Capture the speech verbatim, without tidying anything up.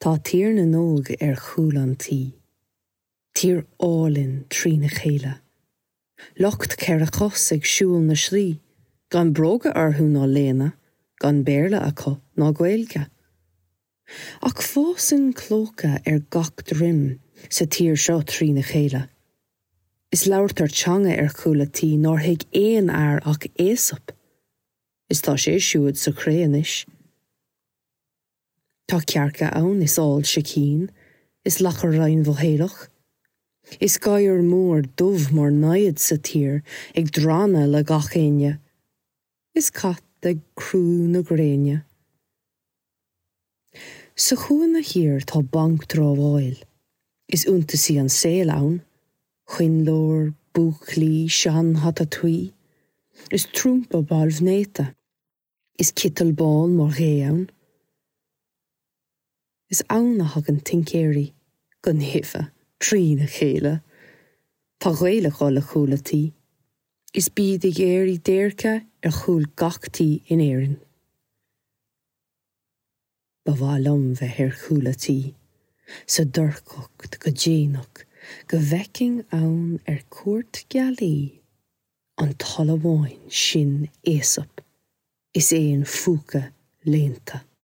Tá Tír na nÓg ar chúl an tí, tír álainn trína chéile. Lucht ceithre cos ag siúl na slí, gan bróga orthu ná léine, gan Béarla acu ná Gaeilge. Ach fásann clóca ar gach droim sa tír seo trína chéile. Is labhartar teanga ar chúl a tí nár thuig aon fhear ach Aesop, is tá sé siúd sa chré anois. Tá cearca ann is ál sicín, is lacha righin-mhothaolach, Is gadhar mór dubh mar namhaid sa tír ag drannadh le gach éinne, Is cat ag crú na gréine. Sa chúinne thiar tá banc dramháil, Is iontasaí an saol ann, coinnleoir, búclaí, seanhata tuí, Is trumpa balbh néata, is citeal bán mar ghé ann. Is ann a thagann tincéirí go naofa trína chéile, Tá Gaeil ag dul le cúl a tí, Is bíd ag iarraidh déirce ar chúl gach tí in Éirinn. Ba mhaith liom bheith ar chúl a tí, sa dorchacht go déanach go bhfeicfinn ann ar cuairt gealaí an t-amháin sin Aesop, is é an phúca léannta.